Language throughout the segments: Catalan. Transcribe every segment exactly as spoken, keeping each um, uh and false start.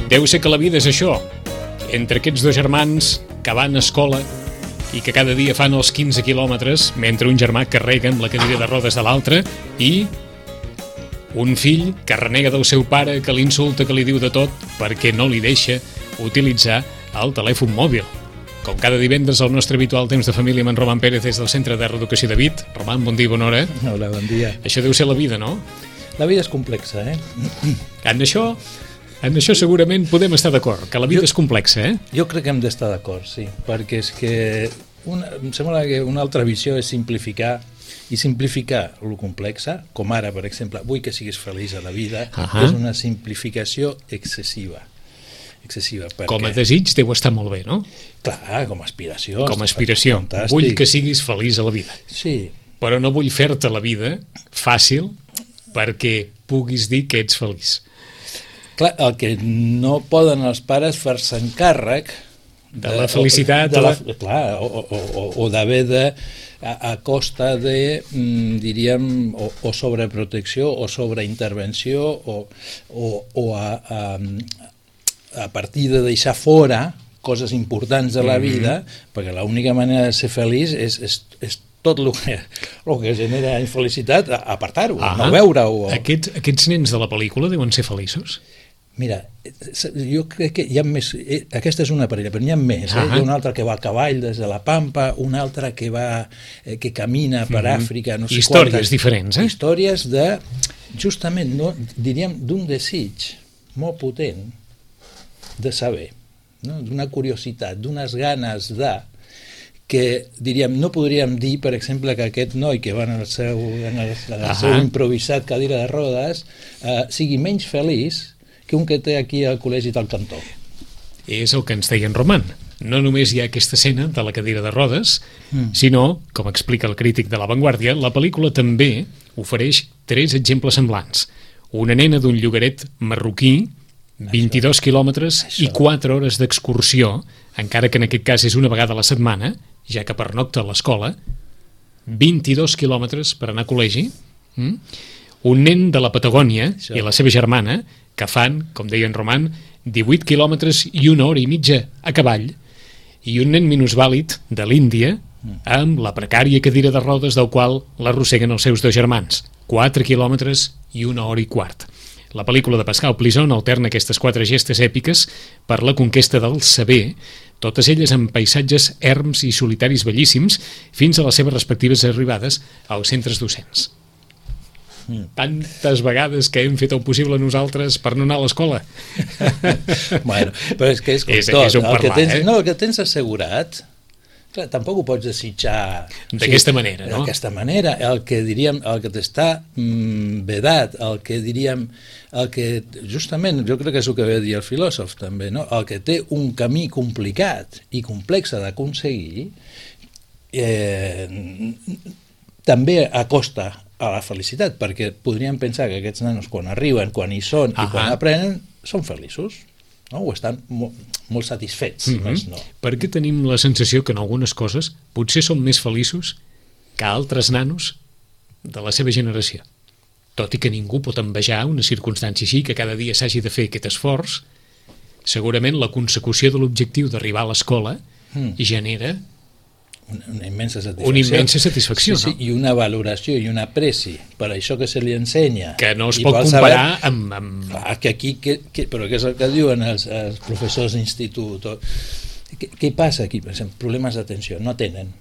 Deu ser que la vida és això, entre aquests dos germans que van a escola i que cada dia fan els quinze quilòmetres mentre un germà carrega amb la cadira de rodes de l'altre i un fill que renega del seu pare, que l'insulta, que li diu de tot perquè no li deixa utilitzar el telèfon mòbil. Com cada divendres el nostre habitual temps de família amb en Roman Pérez des del Centre de Reeducació de Vit. Roman, bon dia i bona hora. Hola, bon dia. Això deu ser la vida, no? La vida és complexa, eh? En això, en això segurament podem estar d'acord, que la vida jo, és complexa, eh? Jo crec que hem d'estar d'acord, sí, perquè és que una, em sembla que una altra visió és simplificar i simplificar lo complexa, com ara, per exemple, vull que siguis feliç a la vida, uh-huh. és una simplificació excessiva. excessiva perquè... Com a desig deu estar molt bé, no? Clar, com a aspiració. Com a aspiració. Fantàstic. Vull que siguis feliç a la vida. Sí. Però no vull fer-te la vida fàcil perquè puguis dir que ets feliç. Clar, el que no poden els pares fer-se encàrrec de, de la felicitat de la, la... clar, o, o, o, o d'haver de a, a costa de mm, diríem o, o sobreprotecció o sobreintervenció o, o, o a, a, a partir de deixar fora coses importants de la vida, mm-hmm. perquè l'única manera de ser feliç és, és, és tot el que, el que genera infelicitat, apartar-ho, ah, no veure-ho. Aquests, aquests nens de la pel·lícula deuen ser feliços? Mira, jo crec que hi ha més... Aquesta és una parella, però n'hi ha més. Eh? Hi ha una altra que va a cavall des de la Pampa, una altra que va eh, que camina per mm-hmm. Àfrica... No sé històries quantes, diferents, eh? Històries de, justament, no, diríem, d'un desig molt potent de saber, no? D'una curiositat, d'unes ganes de... que, diríem, no podríem dir, per exemple, que aquest noi que va en el seu, en el, en el seu improvisat cadira de rodes eh, sigui menys feliç que un que té aquí al col·legi del cantó. És el que ens deia en Roman. No només hi ha aquesta escena de la cadira de rodes, mm. sinó, com explica el crític de La Vanguardia, la pel·lícula també ofereix tres exemples semblants. Una nena d'un llogaret marroquí, vint-i-dos quilòmetres i quatre hores d'excursió, encara que en aquest cas és una vegada a la setmana, ja que pernocta a l'escola, vint-i-dos quilòmetres per anar a col·legi, mm? un nen de la Patagònia Això. I la seva germana, que fan, com deia en Roman, divuit quilòmetres i una hora i mitja a cavall, i un nen minusvàlid de l'Índia, amb la precària cadira de rodes del qual l'arrosseguen els seus dos germans, quatre quilòmetres i una hora i quart. La pel·lícula de Pascal Plisson alterna aquestes quatre gestes èpiques per la conquesta del saber, totes elles amb paisatges erms i solitaris bellíssims, fins a les seves respectives arribades als centres docents. Mm. Tantes vegades que hem fet el possible nosaltres per no anar a l'escola. Bueno, però és que és com és, tot. És un parlar, el que tens, eh? No, el que tens assegurat... Clar, tampoc ho pots desitjar d'aquesta o sigui, manera, no? D'aquesta manera, el que diríem, el que t'està mm, vedat, el que diríem, el que justament, jo crec que és el que ve a dir el filòsof també, no? El que té un camí complicat i complex d'aconseguir, eh, també acosta a la felicitat, perquè podríem pensar que aquests nanos quan arriben, quan hi són i quan aprenen, són feliços. No? O estan molt, molt satisfets, mm-hmm. més no. Per què tenim la sensació que en algunes coses potser som més feliços que altres nanos de la seva generació? Tot i que ningú pot envejar una circumstància així, que cada dia s'hagi de fer aquest esforç, segurament la consecució de l'objectiu d'arribar a l'escola mm. genera una, una immensa satisfacció, una immensa satisfacció sí, sí, no? I una valoració i una apreci per això que se li ensenya, que no es pot comparar saber, amb, amb... Clar, que aquí, que, que, però què és el que diuen els, els professors d'institut? Què, què passa aquí? Per exemple, problemes d'atenció, no tenen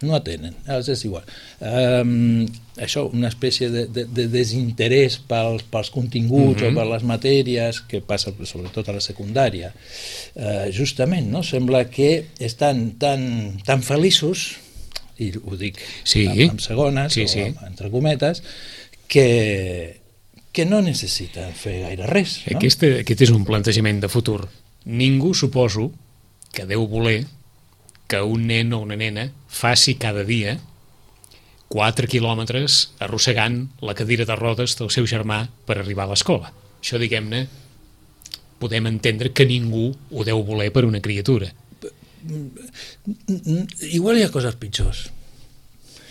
no atenen, els és igual. Um, això, una espècie de, de, de desinterès pels, pels continguts mm-hmm. o per les matèries, que passa sobretot a la secundària. Uh, justament, no? Sembla que estan tan, tan feliços, i ho dic sí. amb, amb segones, sí, sí. o amb, entre cometes, que, que no necessiten fer gaire res. No? Aquest, aquest és un plantejament de futur. Ningú, suposo, que deu voler que un nen o una nena faci cada dia quatre quilòmetres arrossegant la cadira de rodes del seu germà per arribar a l'escola. Això, diguem-ne, podem entendre que ningú ho deu voler per una criatura. Igual hi ha coses pitjors.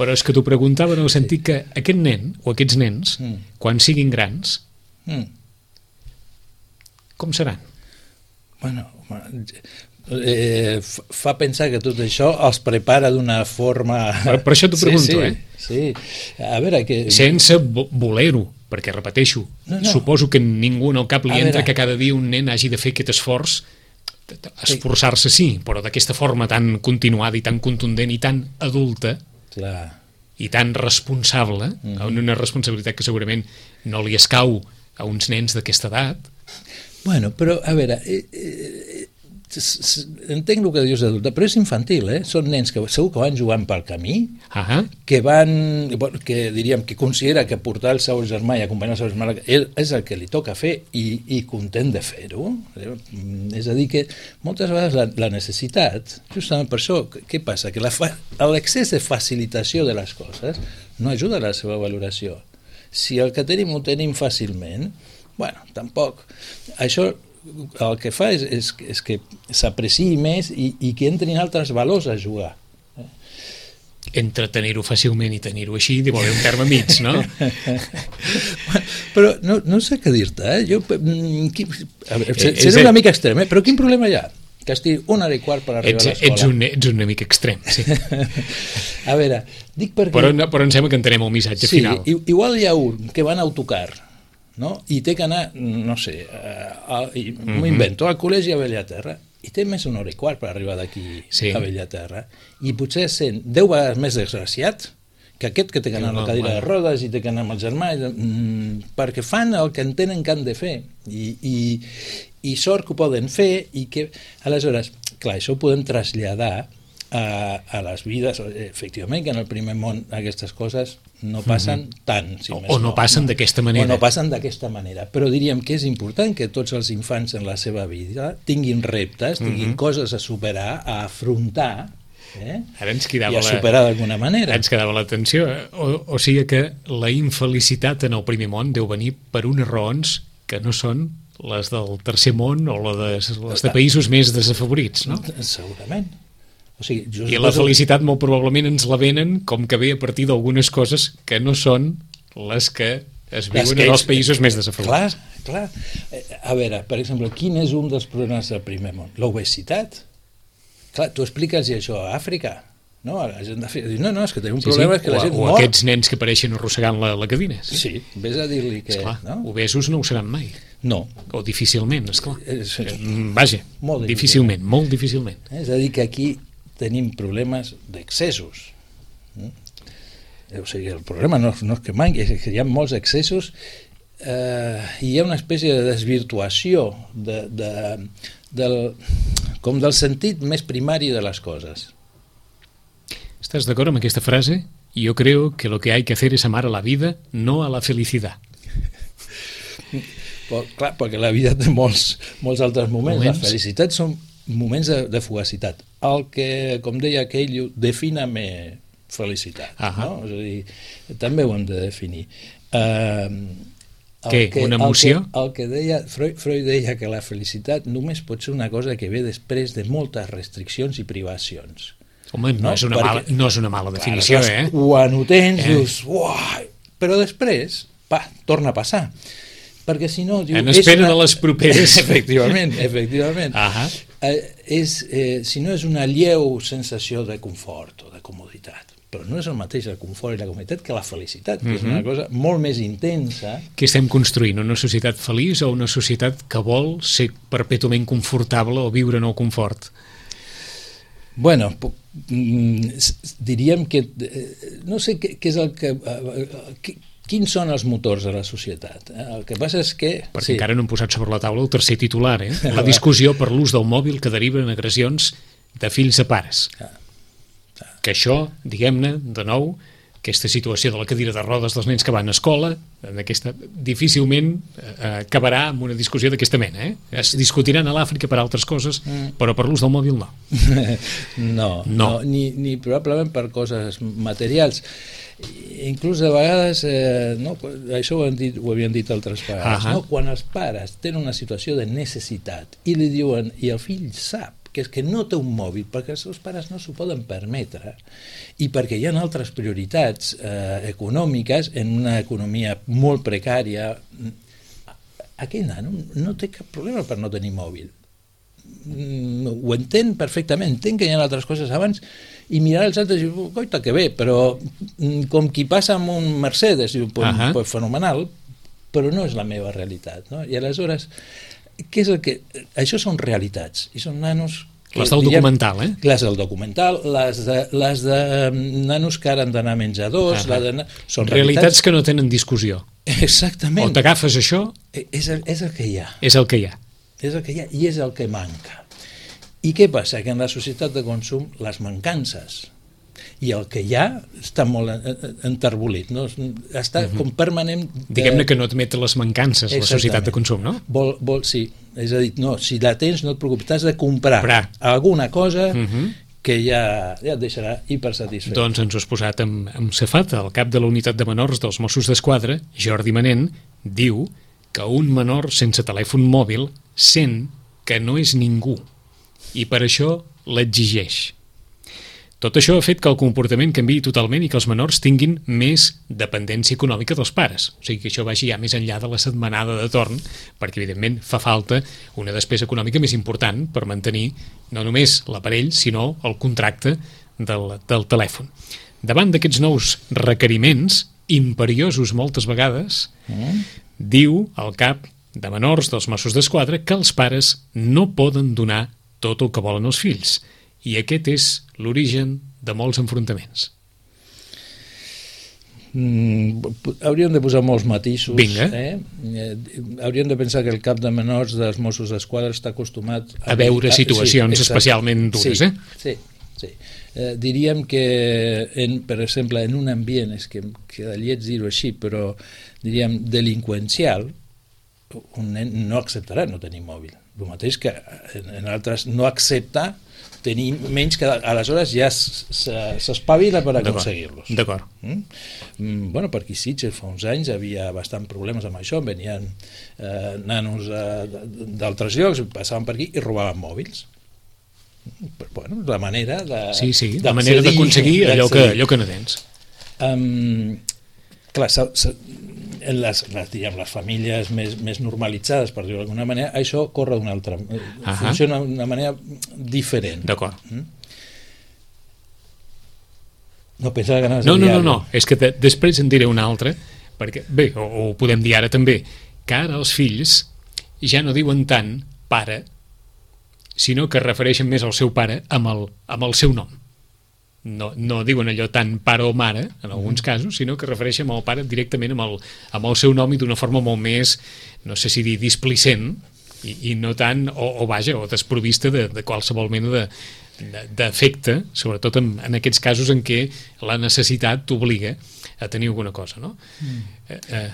Però és que t'ho preguntava en el sentit que aquest nen o aquests nens, mm. quan siguin grans, mm. com seran? Bueno, eh, fa pensar que tot això els prepara d'una forma... Per, per això t'ho pregunto, sí, sí, eh? Sí, a veure... Que... Sense voler-ho, perquè, repeteixo, no, no. suposo que ningú en el cap li a entra veure. Que cada dia un nen hagi de fer aquest esforç, esforçar-se sí, però d'aquesta forma tan continuada i tan contundent i tan adulta, clar. I tan responsable, mm-hmm. una responsabilitat que segurament no li escau a uns nens d'aquesta edat. Bueno, però, a veure, eh, eh, entenc el que dius d'adulta, però és infantil, eh? Són nens que segur que van jugant pel camí, uh-huh. que van, que diríem, que considera que portar el seu germà i acompanyar el seu germà és el que li toca fer i, i content de fer-ho. És a dir, que moltes vegades la, la necessitat, justament per això, què passa? Que l'excés de facilitació de les coses no ajuda a la seva valoració. Si el que tenim ho tenim fàcilment, bueno, tampoc. Això el que fa és, és, és que s'apreciï més i, i que entrin altres valors a jugar. Entre tenir-ho fàcilment i tenir-ho així, deu haver un terme mig, no? Però no, no sé què dir-te, eh? Jo, qui, a veure, seré és una mica extrem, eh? Però quin problema hi ha? Que estigui una hora i quart per arribar ets, a l'escola. Ets un, ets un amic extrem, sí. A veure, dic perquè... Però, però em sembla que entenem el missatge sí, final. Sí, igual hi ha un que va en autocar, no? I té que anar, no sé, a, a, m'ho invento, al col·legi a Bellaterra, i té més una hora i quart per arribar d'aquí sí. a Bellaterra, i potser sent deu vegades més desgraciat que aquest que té que anar a la cadira de rodes i té que anar amb el germà, mm, perquè fan el que entenen que han de fer, i, i, i sort que ho poden fer, i que, aleshores, clar, això ho podem traslladar a, a les vides, efectivament, que en el primer món aquestes coses no passen mm-hmm. tant, si o, més o no, no passen no. d'aquesta manera. O no passen d'aquesta manera, però diríem que és important que tots els infants en la seva vida tinguin reptes, tinguin mm-hmm. coses a superar, a afrontar, eh? Ara ens quedava i a superar d'alguna manera. Ens quedava l'atenció, o, o sigui que la infelicitat en el primer món deu venir per unes raons que no són les del tercer món o les de, les de països més desafavorits, no? Segurament. O sigui, jo I la felicitat molt probablement ens la venen com que ve a partir d'algunes coses que no són les que es viuen que en els països més desafavorits. Clar, clar. A veure, per exemple, quin és un dels problemes del primer món? L'obesitat. Clar, tu expliques això a Àfrica, no? La gent de... No, no, és que tenim un sí, problema sí. que la gent o, mor. O aquests nens que apareixen arrossegant la, la cadira. Sí, sí, vés a dir-li que... Esclar, no? Obesos no ho seran mai. No. O difícilment, esclar. És, Vaja, molt difícilment, molt difícilment. És a dir, que aquí tenim problemes d'excessos. O sigui, el problema no, no és que manqui, és que hi ha molts excessos eh, i hi ha una espècie de desvirtuació de, de, del, com del sentit més primari de les coses. ¿Estás d'acord amb aquesta frase? Yo creo que lo que hay que hacer es amar a la vida, no a la felicidad. Però, clar, perquè la vida té molts, molts altres moments. moments. La felicitat són moments de, de fugacitat. El que, com deia aquell, defina-me felicitat. Uh-huh. No? És a dir, també ho hem de definir. Uh, Què? Que, una emoció? El que, el que deia, Freud, Freud deia que la felicitat només pot ser una cosa que ve després de moltes restriccions i privacions. Home, no, no, és, una perquè, mala, no és una mala definició, clar, eh? Quan ho tens, eh? dius, uai, però després, pa, torna a passar. Perquè si no... Diu, en espera una... de les properes. Efectivament, efectivament. Uh-huh. Eh, és, eh, si no és una lleu sensació de confort o de comoditat, però no és el mateix el confort i la comoditat que la felicitat, que uh-huh. és una cosa molt més intensa. Què estem construint? Una societat feliç o una societat que vol ser perpètuament confortable o viure en el confort? Bueno, diríem que... No sé què, què és el que... Què, quins són els motors de la societat? El que passa és que... Perquè sí. encara no hem posat sobre la taula el tercer titular, eh? La discussió per l'ús del mòbil que deriva en agressions de fills a pares. Ah. Ah. Que això, diguem-ne, de nou, aquesta situació de la cadira de rodes dels nens que van a escola, en aquesta, difícilment eh, acabarà amb una discussió d'aquesta mena. Eh? Es discutiran a l'Àfrica per altres coses, mm. però per l'ús del mòbil no. no, no. no ni, ni probablement per coses materials. Inclús de vegades, eh, no, això ho, hem dit, ho havien dit altres vegades, uh-huh. no? Quan els pares tenen una situació de necessitat i li diuen, i el fill sap que és que no té un mòbil perquè els seus pares no s'ho poden permetre i perquè hi ha altres prioritats eh, econòmiques en una economia molt precària, aquell nano no té cap problema per no tenir mòbil. ho entén perfectament, entenc que hi ha altres coses abans, i mirar els altres i dir, coita, que bé, però com qui passa amb un Mercedes, diu, pues, uh-huh. pues fenomenal, però no és la meva realitat, no? I aleshores, què és el que... Això són realitats, i són nanos... Que, les del diríem, documental, eh? Les del documental, les de, les de nanos que ara han d'anar a menjadors... Uh-huh. la de, són realitats, realitats que no tenen discussió. Exactament. O t'agafes això... És el, és el que hi ha. És el que hi ha. És el que hi ha i és el que manca. I què passa? Que en la societat de consum les mancances i el que hi ha està molt enterbolit, no? Està uh-huh. com permanent... De... Diguem-ne que no admet les mancances la societat de consum, no? Vol, vol, sí, és a dir, no, si la tens no et preocupis, t'has de comprar Bra. alguna cosa uh-huh. que ja, ja et deixarà hipersatisfet. Doncs ens ho has posat amb, amb Cefat, el cap de la unitat de menors dels Mossos d'Esquadra, Jordi Manent, diu que un menor sense telèfon mòbil sent que no és ningú i per això l'exigeix. Tot això ha fet que el comportament canviï totalment i que els menors tinguin més dependència econòmica dels pares. O sigui que això vagi ja més enllà de la setmanada de torn, perquè evidentment fa falta una despesa econòmica més important per mantenir no només l'aparell, sinó el contracte del, del telèfon. Davant d'aquests nous requeriments, imperiosos moltes vegades, mm. diu el cap de menors dels Mossos d'Esquadra que els pares no poden donar tot el que volen els fills. I aquest és l'origen de molts enfrontaments. Mm, hauríem de posar molts matisos. Vinga. Eh? Eh, hauríem de pensar que el cap de menors dels Mossos d'Esquadra està acostumat a, a veure situacions sí, especialment dures. Sí, eh? sí, sí. Eh, diríem que, en, per exemple, en un ambient, és que queda lleig dir-ho així, però diríem delinqüencial, un nen no acceptarà no tenir mòbil. El mateix que en altres no accepta tenir menys, que aleshores ja s'espavila per aconseguir-los. D'acord. Mm? Bueno, per aquí Sitges fa uns anys havia bastant problemes amb això, venien eh, nanos eh, d'altres llocs, passaven per aquí i robaven mòbils. Però, bueno, la manera de... Sí, sí, la manera d'aconseguir allò que, allò que no tens. Um, clar, s ha, s ha, en les, les, diguem, les famílies més, més normalitzades, per dir-ho d'alguna manera, això corre d'una altra... Uh-huh. Funciona d'una manera diferent. D'acord. Mm? No pensava que anaves no, a dir no, no, no, és que de, després en diré una altra, perquè, bé, o, o ho podem dir ara també, que ara els fills ja no diuen tant pare, sinó que refereixen més al seu pare amb el, amb el seu nom. No, no diuen allò tant pare o mare, en alguns casos, sinó que refereixen al pare directament amb el, amb el seu nom i d'una forma molt més, no sé si dir displicent, i, i no tant, o, o vaja, o desprovista de, de qualsevol mena de, de, d'efecte, sobretot en, en aquests casos en què la necessitat t'obliga a tenir alguna cosa, no? Mm. Eh, eh,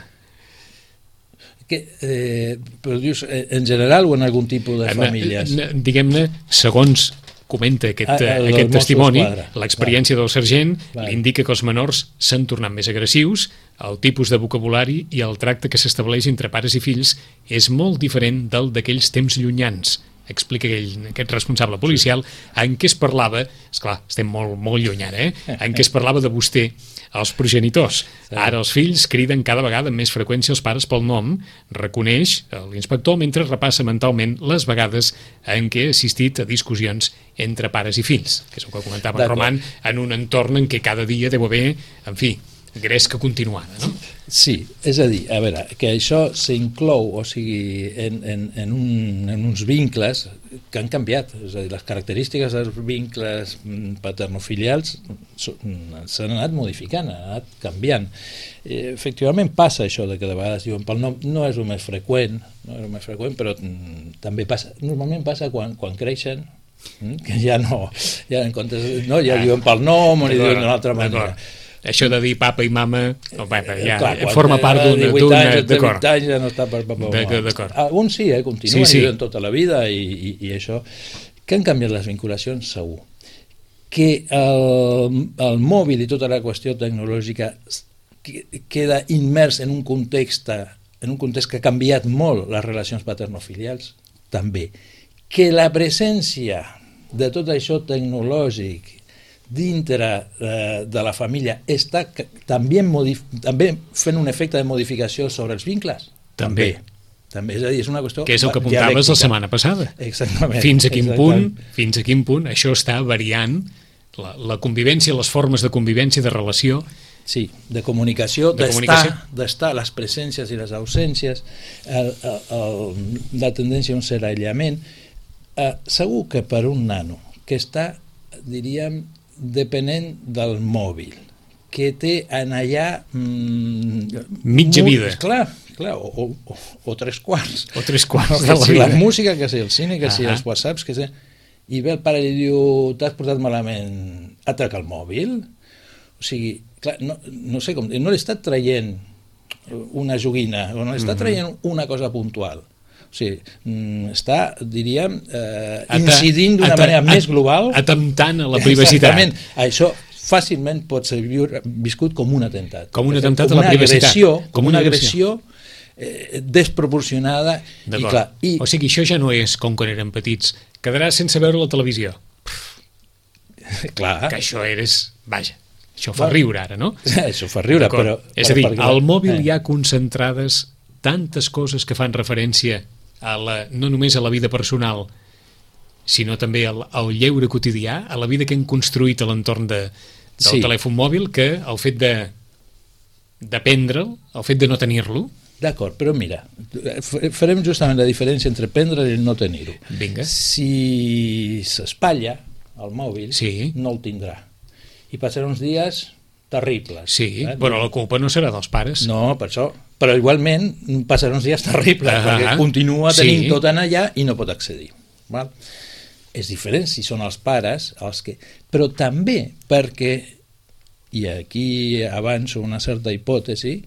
que, eh, però dius, en general o en algun tipus de famílies? Diguem-ne, segons comenta aquest, ah, aquest testimoni, l'experiència del sergent li indica que els menors s'han tornat més agressius, el tipus de vocabulari i el tracte que s'estableix entre pares i fills és molt diferent del d'aquells temps llunyans, explica ell, aquest responsable policial, en què es parlava, esclar, estem molt, molt lluny ara, eh? en què es parlava de vostè als progenitors. Ara els fills criden cada vegada amb més freqüència els pares pel nom, reconeix l'inspector mentre repassa mentalment les vegades en què ha assistit a discussions entre pares i fills, que és el que comentava en Roman, en un entorn en què cada dia deu haver, en fi, gresca continuada, no? Sí, és a dir, a veure, que això s'inclou, o sigui, en, en, en, un, en uns vincles que han canviat, és a dir, les característiques dels vincles paternofilials s'han anat modificant, han anat canviant. Efectivament passa això de que de vegades diuen pel nom, no és el més freqüent, no és el més freqüent, però també passa, normalment passa quan, quan creixen, que ja no, ja en comptes, no, ja diuen pel nom o ni diuen d'una altra manera. Això de dir papa i mama, no, papa, ja clar, forma part d'una... D'acord. Ja no està per papa o mama. D'acord. Alguns sí, eh, continuen sí, sí. i viuen tota la vida i, i, i això. Que han canviat les vinculacions, segur. Que el, el mòbil i tota la qüestió tecnològica queda immers en un context, en un context que ha canviat molt les relacions paternofilials, també. Que la presència de tot això tecnològic dintre eh, de la família està també, modif- també fent un efecte de modificació sobre els vincles? També. També. també, és a dir, és una qüestió que és el que apuntaves la setmana passada. Exactament. Fins a quin exactament. punt, fins a quin punt això està variant la, la convivència, les formes de convivència, de relació. Sí, de comunicació, de d'estar, comunicació. d'estar, les presències i les ausències, el, el, el, la tendència a un cert aïllament. Eh, segur que per un nano que està, diríem, depenent del mòbil, que té en allà... Mm, mitja mu- vida. Clar, clar o, o, o tres quarts. O tres quarts No, de que la si vida. la música, que si el cine, que si Ah. els whatsapps, que si... I ve el pare i li diu, t'has portat malament, atraca el mòbil? O sigui, clar, no, no sé com... No li està traient una joguina, o no li està Mhm. traient una cosa puntual. O sigui, mm, està, diríem, eh, Ata- incidint d'una ata- manera at- més global. Atemptant a la privacitat. Exactament. Això fàcilment pot ser viure- viscut com un atemptat. Com un De fet, atemptat com a la una privacitat. Agressió, Com com una una agressió. agressió eh, desproporcionada. I D'acord. clar, i, O sigui, això ja no és com quan érem petits. Quedaràs sense veure la televisió. clar, Que això eres... Vaja, això fa Bueno. riure ara, no? això fa riure, D'acord. però... És a dir, perquè- al mòbil eh. hi ha concentrades tantes coses que fan referència a la, no només a la vida personal, sinó també al, al lleure quotidià, a la vida que hem construït a l'entorn de, del Sí. telèfon mòbil, que el fet de d'aprendre'l, el fet de no tenir-lo... D'acord, però mira, f- farem justament la diferència entre prendre i no tenir-ho. Vinga. Si s'espatlla el mòbil, Sí. no el tindrà. I passarà uns dies terribles. Sí, eh? però la culpa no serà dels pares. No, per això. Però igualment passarà uns dies terribles, Ah, perquè continua tenint sí. tot en allà i no pot accedir. Val? És diferent si són els pares els que... Però també perquè, i aquí avanço una certa hipòtesi,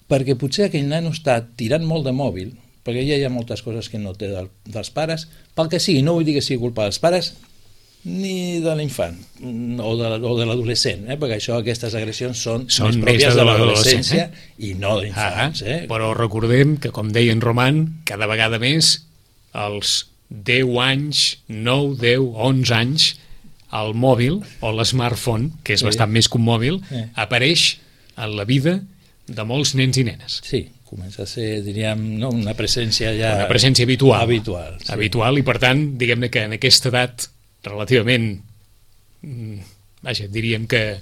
perquè potser aquell nano està tirant molt de mòbil, perquè ja hi ha moltes coses que no té del, dels pares, pel que sigui, no vull dir que sigui culpa dels pares, ni de l'infant o de, o de l'adolescent, eh? Perquè això, aquestes agressions són, Són més més pròpies de de l'adolescència, l'adolescència i no Ah, d'infants. Eh? però recordem que, com deia en Roman, cada vegada més els deu anys, nou, deu, onze anys, el mòbil o l'smartphone, que és Sí. bastant més que un mòbil, Eh. apareix en la vida de molts nens i nenes. Sí, comença a ser, diríem, no, una presència ja... Una presència habitual. Habitual, sí. Habitual, i per tant, diguem-ne que en aquesta edat relativament, mm, vaja, diríem que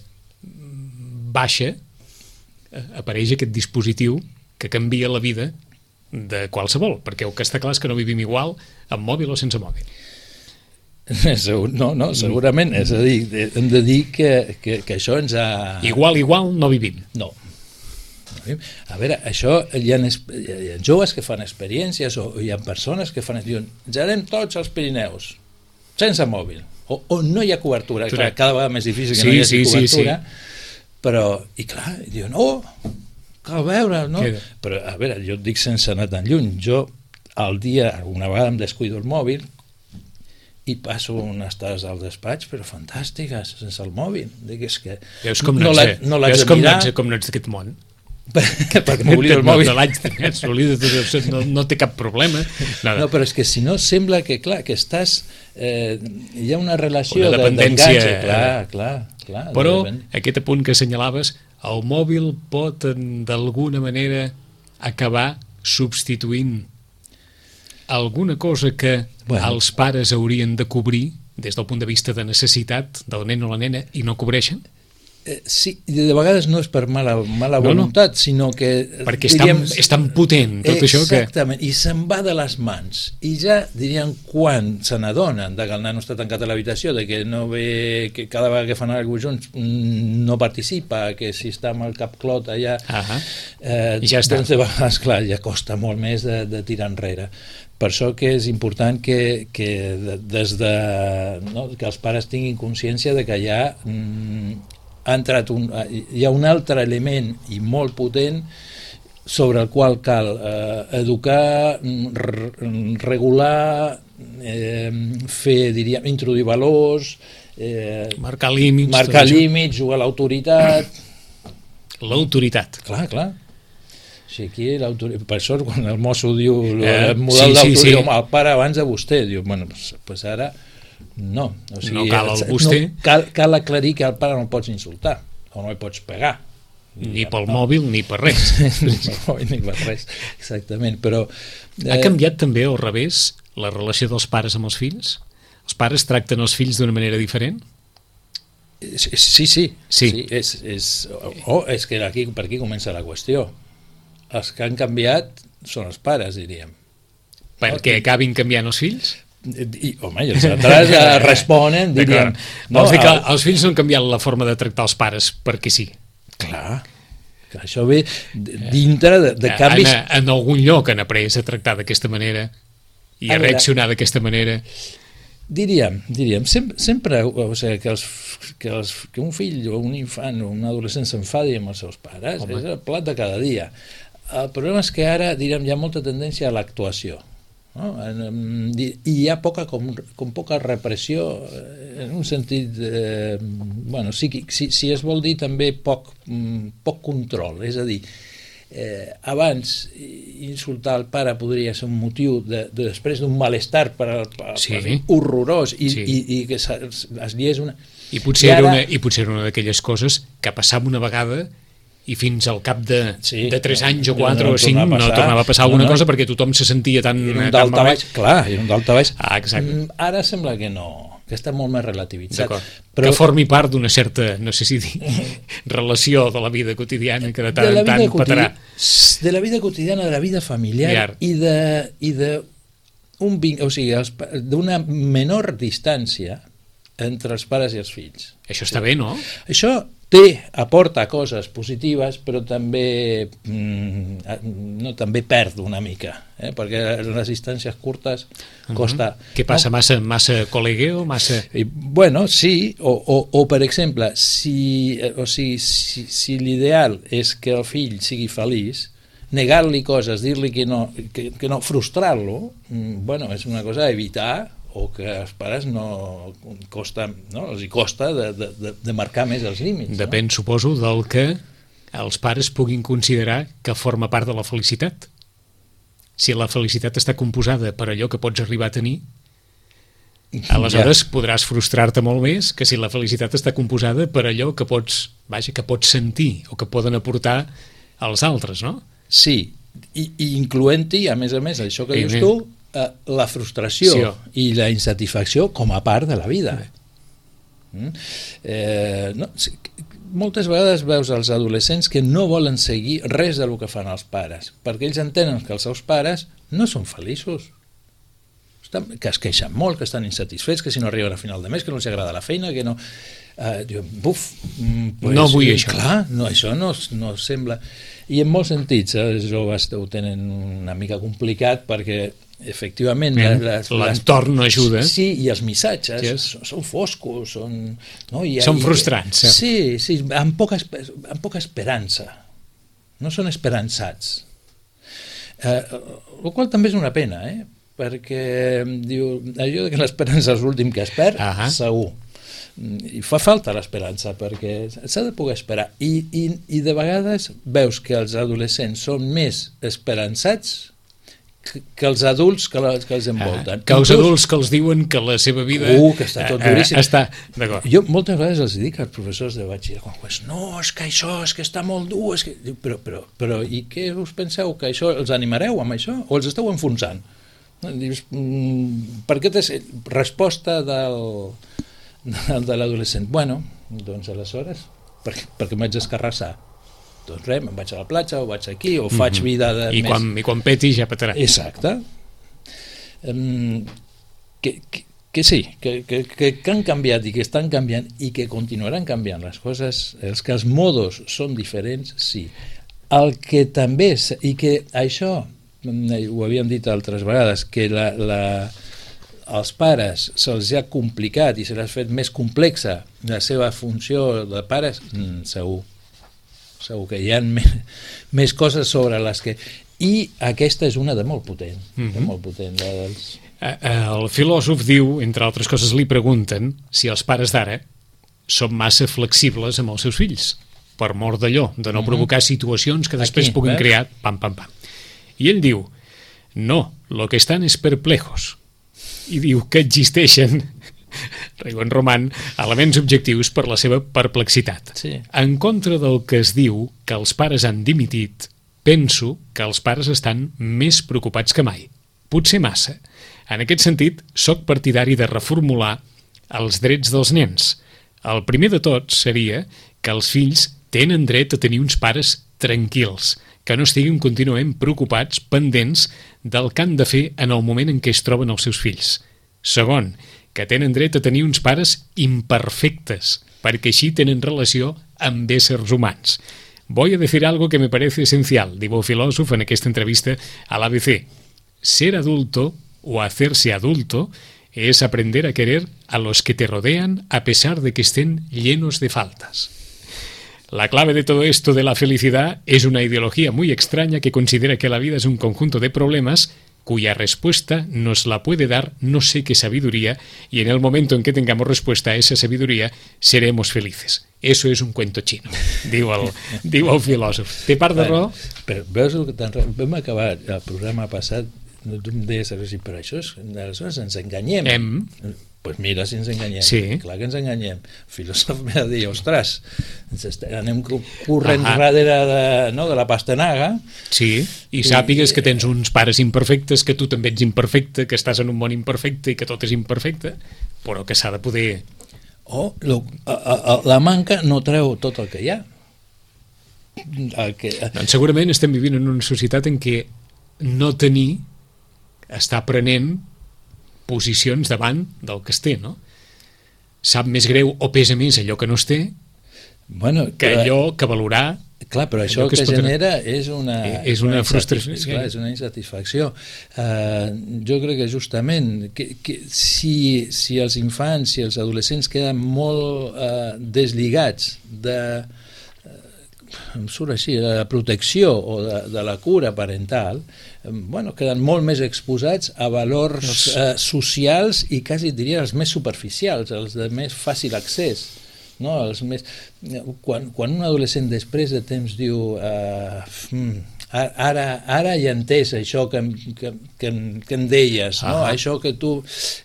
mm, baixa, eh, apareix aquest dispositiu que canvia la vida de qualsevol, perquè el que està clar és que no vivim igual amb mòbil o sense mòbil. Segur- No, no, segurament. És a dir, hem de dir que, que, que això ens ha... Igual, igual, no vivim. No. A veure, això hi ha, hi ha joves que fan experiències o hi ha persones que fan... Diuen, ja anem tots als Pirineus, sense mòbil, o, o no hi ha cobertura. Clar. Clar, cada vegada més difícil que Sí, no hi hagi sí, sí, cobertura, sí. però, i clar, i diuen, oh, cal veure, no? Queda. Però, a veure, jo et dic sense anar tan lluny, jo al dia, alguna vegada em descuido el mòbil, i passo unes estades al despatx, però fantàstiques, sense el mòbil. Dic, és que Veus com no, no ets, l'haig de- no l'haig veus de com no mirar, ets, com no ets d'aquest món. perquè m'oblido el mòbil. No, l'haig de s'oblida tot, no, no té cap problema. Nada. No, però és que si no sembla que, clar, que estàs... Eh, hi ha una relació Una de- dependència, d'enganxe, clar, eh? clar, clar. Però de depend- aquest apunt que assenyalaves, el mòbil pot en- d'alguna manera acabar substituint alguna cosa que Bueno. els pares haurien de cobrir des del punt de vista de necessitat del nen o la nena i no cobreixen? Eh, sí, de vegades no és per mala, mala No, no. voluntat, sinó que... Perquè és tan, és tan potent tot això que... Exactament, i se'n va de les mans. I ja, diríem, quan se n'adonen de que el nano està tancat a l'habitació, de que no ve, que cada vegada que fan alguna cosa junts mm, no participa, que si està amb el cap clot allà... Ahà. Eh, I ja està. Doncs de vegades, clar, ja costa molt més de, de tirar enrere. Per això que és important que, que de, des de... No, que els pares tinguin consciència de que hi ha... Mm, ha entrat un, hi ha un altre element i molt potent sobre el qual cal eh, educar, r regular, eh, fer, diríem, introduir valors, eh, Marcar límits. marcar tot això. límits, jugar a l'autoritat. L'autoritat. Clar, clar. Sí, aquí l'autoritat... Per això, quan el mosso diu Eh, el model sí, sí, d'autoritat, sí. el pare abans de vostè, diu, bueno, pues, pues ara no. O sigui, No cal el vostè. No, cal, cal aclarir que al pare no el pots insultar o no el pots pegar. Ni pel mòbil ni per res. Ni per mòbil ni per res, exactament. Però, eh... Ha canviat també al revés la relació dels pares amb els fills? Els pares tracten els fills d'una manera diferent? Sí, sí. sí. sí. sí és, és, oh, és que aquí, per aquí comença la qüestió. Els que han canviat són els pares, diríem. Perquè acabin canviant els fills? I, home, i els altres responen, diríem... No, Vols dir que els fills no han canviat la forma de tractar els pares perquè sí? Clar, que això ve dintre de, de canvis... En, en algun lloc han après a tractar d'aquesta manera i a, a reaccionar d'aquesta manera. Diríem, diríem, sempre, sempre o sigui, que, els, que, els, que un fill o un infant o un adolescent s'enfadi amb els seus pares, Home. és el plat de cada dia. El problema és que ara, diríem, hi ha molta tendència a l'actuació. No? I hi ha poca, com, com poca repressió en un sentit eh, bueno, psíquic, si, si es vol dir també poc, poc control, és a dir, eh, abans insultar el pare podria ser un motiu de, de després d'un malestar per, per, sí. per horrorós i, sí. i, i que es, es liés una... I potser, I ara... era una, i potser era una d'aquelles coses que passava una vegada i fins al cap de, sí, de tres anys o quatre no o cinc no tornava a passar alguna no, no. cosa perquè tothom se sentia tan... Era un daltabaix, clar, era un daltabaix. Ah, exacte. Ara sembla que no, que està molt més relativitzat. Però... Que formi part d'una certa, no sé si dir, relació de la vida quotidiana que de tant en tant patarà. De la vida quotidiana, de la vida familiar Miar. i de, i de un, o sigui, d'una menor distància entre els pares i els fills. Això està bé, no? Això té, aporta coses positives, però també mm, no, també perd una mica, eh? perquè les distàncies curtes costa... Uh-huh. Què passa? No? Massa, massa col·legueo? Massa... I, bueno, sí, o, o, o per exemple, si, o sigui, si, si l'ideal és que el fill sigui feliç, negar-li coses, dir-li que no, que, que no frustrar-lo, bueno, és una cosa a evitar, o que als pares no costa, no? els hi costa de, de, de marcar més els límits. Depèn, no? Suposo, del que els pares puguin considerar que forma part de la felicitat. Si la felicitat està composada per allò que pots arribar a tenir, aleshores ja. podràs frustrar-te molt més que si la felicitat està composada per allò que pots, vaja, que pots sentir o que poden aportar als altres, no? Sí, i, i incloent-hi, a més a més, això que I dius tu, la frustració sí, i la insatisfacció com a part de la vida. Mm? Eh, no, moltes vegades veus els adolescents que no volen seguir res del que fan els pares, perquè ells entenen que els seus pares no són feliços, estan, que es queixen molt, que estan insatisfets, que si no arriben a final de mes, que no els agrada la feina, que no... Eh, diuen, buf, pues, no vull això. Clar, no, això no, no sembla... I en molts sentits, eh, els joves ho tenen una mica complicat perquè efectivament l'entorn no ajuda, sí, i els missatges yes. són, són foscos, són, no? I, són i, frustrants, sí, sí, amb poca, amb poca esperança, no són esperançats, eh, el qual també és una pena, eh? perquè diu, allò que l'esperança és l'últim que es perd, uh-huh. segur, i fa falta l'esperança perquè s'ha de poder esperar I, i, i de vegades veus que els adolescents són més esperançats que els adults que, la, que els envolten. Ah, que els Inclús, adults que els diuen que la seva vida uh, que està tot duríssim. Eh, està, d'acord. Jo moltes vegades els dic als professors de batxillerat, no, és que això, és que està molt dur, és que... Però, però, però i què us penseu? Que això els animareu amb això? O els esteu enfonsant? Dius, mm, per què t'has... Resposta del, de l'adolescent. Bueno, doncs aleshores, perquè, perquè m'haig d'escarrassar. Doncs res, me'n vaig a la platja, o vaig aquí, o faig mm-hmm. vida de I més... Quan, I quan peti ja petarà. Exacte. Um, que, que, que sí, que, que, que han canviat i que estan canviant i que continuaran canviant les coses, els que els modos són diferents, sí. El que també és, i que això, ho havíem dit altres vegades, que la, la, als pares se'ls ha complicat i se l'ha fet més complexa la seva funció de pares, mm, segur. Segur que hi ha més, més coses sobre les que... I aquesta és una de molt potent. Mm-hmm. de molt potent la dels... El filòsof diu, entre altres coses, li pregunten si els pares d'ara són massa flexibles amb els seus fills, per mort d'allò, de no mm-hmm. provocar situacions que després Aquí, puguin veus? crear... Pam, pam, pam. I ell diu, no, lo que estan és perplejos. I diu que existeixen Riu en Roman, elements objectius per la seva perplexitat. Sí. En contra del que es diu que els pares han dimitit, penso que els pares estan més preocupats que mai. Potser massa. En aquest sentit, sóc partidari de reformular els drets dels nens. El primer de tots seria que els fills tenen dret a tenir uns pares tranquils, que no estiguin contínuament preocupats, pendents del que han de fer en el moment en què es troben els seus fills. Segon, que tenen dret a tenir uns pares imperfectes, perquè així tenen relació amb éssers humans. Voy a decir algo que me parece esencial, diu el filòsof en aquesta entrevista a l'A B C. Ser adulto o hacerse adulto es aprender a querer a los que te rodean a pesar de que estén llenos de faltas. La clave de todo esto de la felicidad es una ideología muy extraña que considera que la vida es un conjunto de problemas cuya respuesta nos la puede dar no sé qué sabiduría, y en el momento en que tengamos respuesta a esa sabiduría seremos felices. Eso és un cuento xino, diu el, diu el filòsof. Té part de raó? Però veus el que tan... Vam acabar el programa passat, tu em deies així, però això és... Aleshores ens enganyem. Hem. Doncs pues mira si ens enganyem. Sí. Clar que ens enganyem. El filòsof m'ha de dir, ostres, ens est... anem corrent Ahà. darrere de, no, de la pastanaga. Sí, i sàpigues que tens uns pares imperfectes, que tu també ets imperfecte, que estàs en un món imperfecte i que tot és imperfecte, però que s'ha de poder... O lo, a, a, la manca no treu tot el que hi ha. El que... Doncs segurament estem vivint en una societat en què no tenir està prenent posicions davant del que es té, no? Sap més greu o pesa més allò que no es té bueno, que allò que valorar. Clar, però això que que, es pot... genera és una, és una, una frustració. És, clar, és una insatisfacció. Uh, jo crec que justament que, que si, si els infants, si els adolescents queden molt uh, deslligats de, uh, em surt així, de la protecció o de, de la cura parental, um, bueno, queden molt més exposats a valors uh, socials i quasi diria els més superficials, els de més fàcil accés. No, els més... quan, quan un adolescent després de temps diu uh, ara, ara ja he entès això que, que, que, que em deies, no? Això que tu...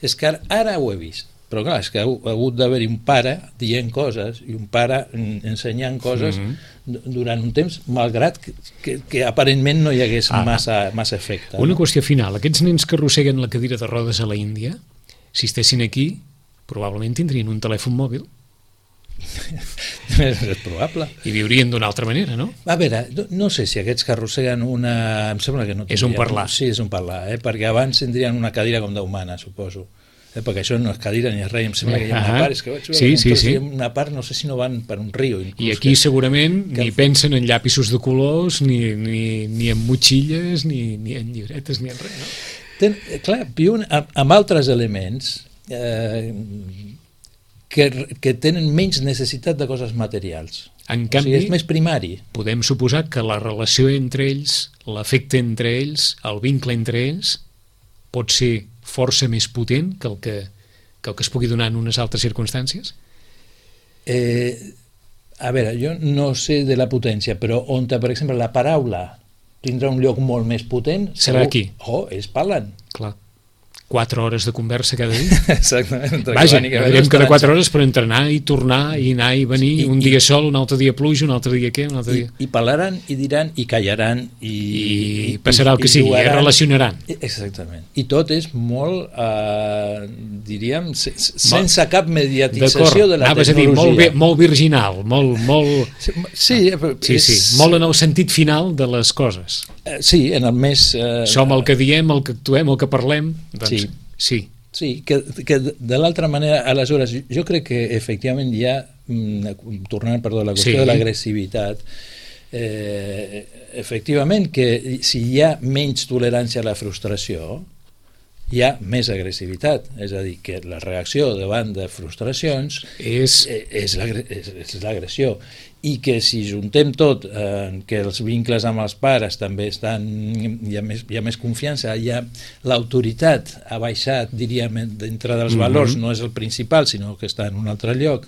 És que ara, ara ho he vist, però clar, és que ha, ha hagut d'haver-hi un pare dient coses i un pare ensenyant coses mm-hmm. durant un temps, malgrat que, que, que aparentment no hi hagués ah. massa, massa efecte. Una no? qüestió final, aquests nens que arrosseguen la cadira de rodes a la Índia, si estessin aquí, probablement tindrien un telèfon mòbil. És probable. I viurien d'una altra manera, no? A veure, no, no sé si aquests que arrosseguen una... Em sembla que no tindrien... És un parlar. Sí, és un parlar, eh? Perquè abans tindrien una cadira com d'humana, suposo. Eh? Perquè això no és cadira ni és res, em sembla que hi ha una part, és que vaig veure sí, sí, sí. una part, no sé si no van per un riu. Inclús, I aquí que, segurament que... ni pensen en llapisos de colors, ni, ni, ni en motxilles, ni, ni en llibretes, ni en res, no? Ten, clar, viuen amb, amb altres elements... Eh, Que, que tenen menys necessitat de coses materials. En canvi, o sigui, és més primari. Podem suposar que la relació entre ells, l'afecte entre ells, el vincle entre ells, pot ser força més potent que el que, que, el que es pugui donar en unes altres circumstàncies? Eh, a veure, jo no sé de la potència, però on, per exemple, la paraula tindrà un lloc molt més potent... Serà segur... aquí. Oh, ells parlen. Clar. Quatre hores de conversa cada dia. Exactament. Vaja, veiem cada quatre hores per entrenar i tornar i anar i venir, I, un dia i, sol, un altre dia pluja, un altre dia què, un altre dia... I, i parlaran, i diran, i callaran, i... I passarà el que sigui, es relacionaran. Exactament. I tot és molt, eh, diríem, se, sense Mol, cap mediatització de la tecnologia. A dir, molt, molt virginal, molt... molt... Sí, ah, sí, sí, molt en el sentit final de les coses. Sí, en el més... Eh, Som el que diem, el que actuem, el que parlem, doncs... Sí. Sí, sí que, que de l'altra manera, aleshores, jo crec que efectivament hi ha, tornant perdó, a la qüestió sí. de l'agressivitat, eh, efectivament que si hi ha menys tolerància a la frustració, hi ha més agressivitat, és a dir, que la reacció davant de frustracions és, és l'agressió, i que si juntem tot, eh, que els vincles amb els pares també estan, hi ha més, hi ha més confiança, hi ha l'autoritat ha baixat, diríem, dintre dels mm-hmm. valors, no és el principal, sinó que està en un altre lloc,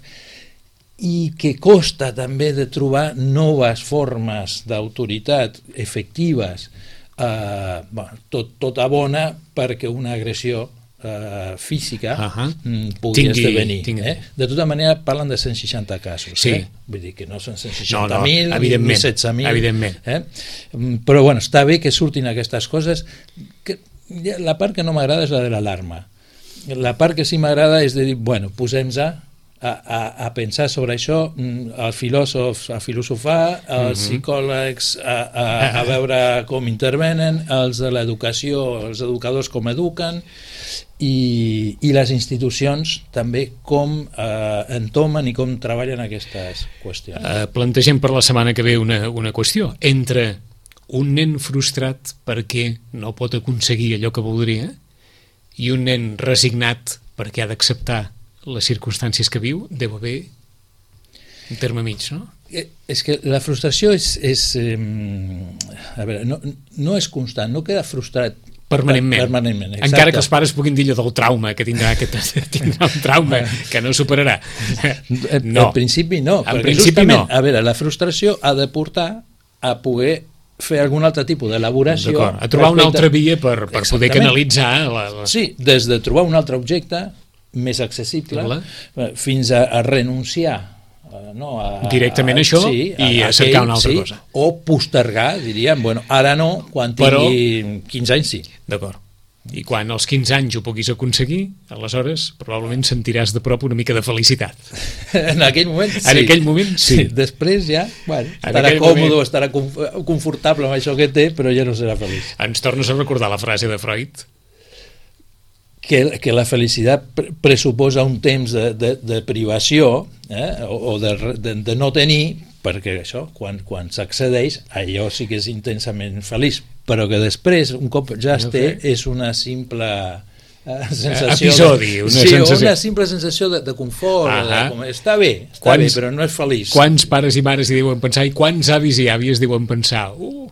i que costa també de trobar noves formes d'autoritat efectives. Uh, bueno, tot, tot abona perquè una agressió eh, física uh -huh. pugui tingui, esdevenir. tingui. Eh? De tota manera, parlen de cent seixanta casos. Sí. Eh? Vull dir que no són cent seixanta mil no, no, ni setze mil. Evidentment. Eh? Però bueno, està bé que surtin aquestes coses. Que, la part que no m'agrada és la de l'alarma. La part que sí m'agrada és de dir, bueno, posem-nos A, a, a pensar sobre això, els filòsofs a filosofar, els psicòlegs a, a, a veure com intervenen, els de l'educació, els educadors com eduquen, i, i les institucions també com eh, entomen i com treballen aquestes qüestions. Uh, plantegem per la setmana que ve una, una qüestió. Entre un nen frustrat perquè no pot aconseguir allò que voldria i un nen resignat perquè ha d'acceptar les circumstàncies que viu, deu haver un terme mig, no? És que la frustració és... és eh, a veure, no, no és constant, no queda frustrat permanentment. permanentment Encara que els pares puguin dir allò del trauma, que tindrà, que tindrà un trauma que no superarà. No. En principi no, en perquè principi justament, no. a veure, la frustració ha de portar a poder fer algun altre tipus d'elaboració. A trobar una altra via per, per poder canalitzar... La, la... Sí, des de trobar un altre objecte més accessible Hola. fins a, a renunciar no, a, directament a això sí, i a, a cercar una altra sí, cosa. O postergar, diríem, bueno, ara no, quan tingui Però, quinze anys sí. D'acord. I quan als quinze anys ho puguis aconseguir, aleshores probablement sentiràs de prop una mica de felicitat. En aquell moment sí. En aquell moment sí. sí. Després ja, bueno, estarà còmode, moment... estarà confortable amb això que té, però ja no serà feliç. Ens tornes a recordar la frase de Freud? Que, que la felicitat pressuposa un temps de, de, de privació eh, o, o de, de, de no tenir, perquè això, quan, quan s'accedeix, allò sí que és intensament feliç, però que després, un cop ja es té, és una simple eh, sensació... Episodi, de, una sí, sensació. una simple sensació de, de confort, uh -huh. de, com, està bé, està quants, bé, però no és feliç. Quants pares i mares hi diuen pensar, i quants avis i àvies diuen pensar, uh,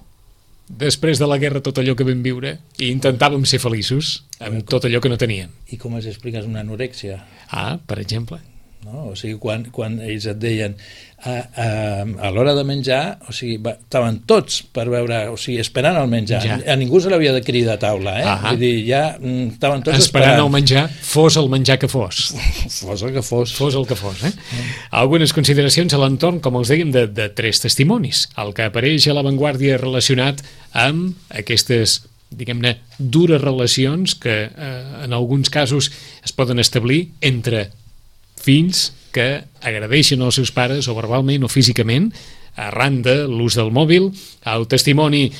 després de la guerra tot allò que vam viure i intentàvem ser feliços amb tot allò que no tenien. I com es expliques una anorèxia? Ah, per exemple. No? O sigui, quan, quan ells et deien a, a, a l'hora de menjar, o sigui, va, estaven tots per veure, o sigui, esperant el menjar. Ja. A ningú se l'havia de cridar a taula, eh? Ah, vull dir, ja mm, estaven tots esperant. Esperant el menjar, fos el menjar que fos. Fos el que fos. Fos el que fos, eh? Mm. Algunes consideracions a l'entorn, com els dèiem, de, de tres testimonis. El que apareix a l'avantguàrdia relacionat amb aquestes, diguem-ne, dures relacions que eh, en alguns casos es poden establir entre fills que agredeixen els seus pares o verbalment o físicament arran de l'ús del mòbil. El testimoni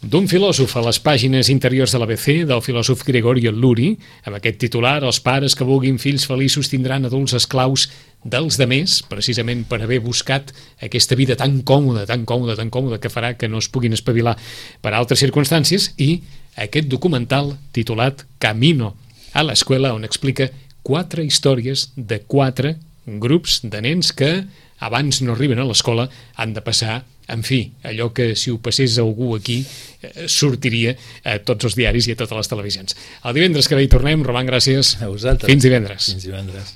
d'un filòsof a les pàgines interiors de l'A B C, del filòsof Gregorio Luri, amb aquest titular: els pares que vulguin fills feliços tindran adults esclaus dels demés, precisament per haver buscat aquesta vida tan còmoda, tan còmoda, tan còmoda, que farà que no es puguin espavilar per altres circumstàncies, i aquest documental titulat Camino a l'escuela, on explica quatre històries de quatre grups de nens que abans no arriben a l'escola han de passar, en fi, allò que si ho passés algú aquí eh, sortiria a tots els diaris i a totes les televisions. El divendres que ve hi tornem. Roman, gràcies. A vosaltres. Fins divendres. Fins divendres.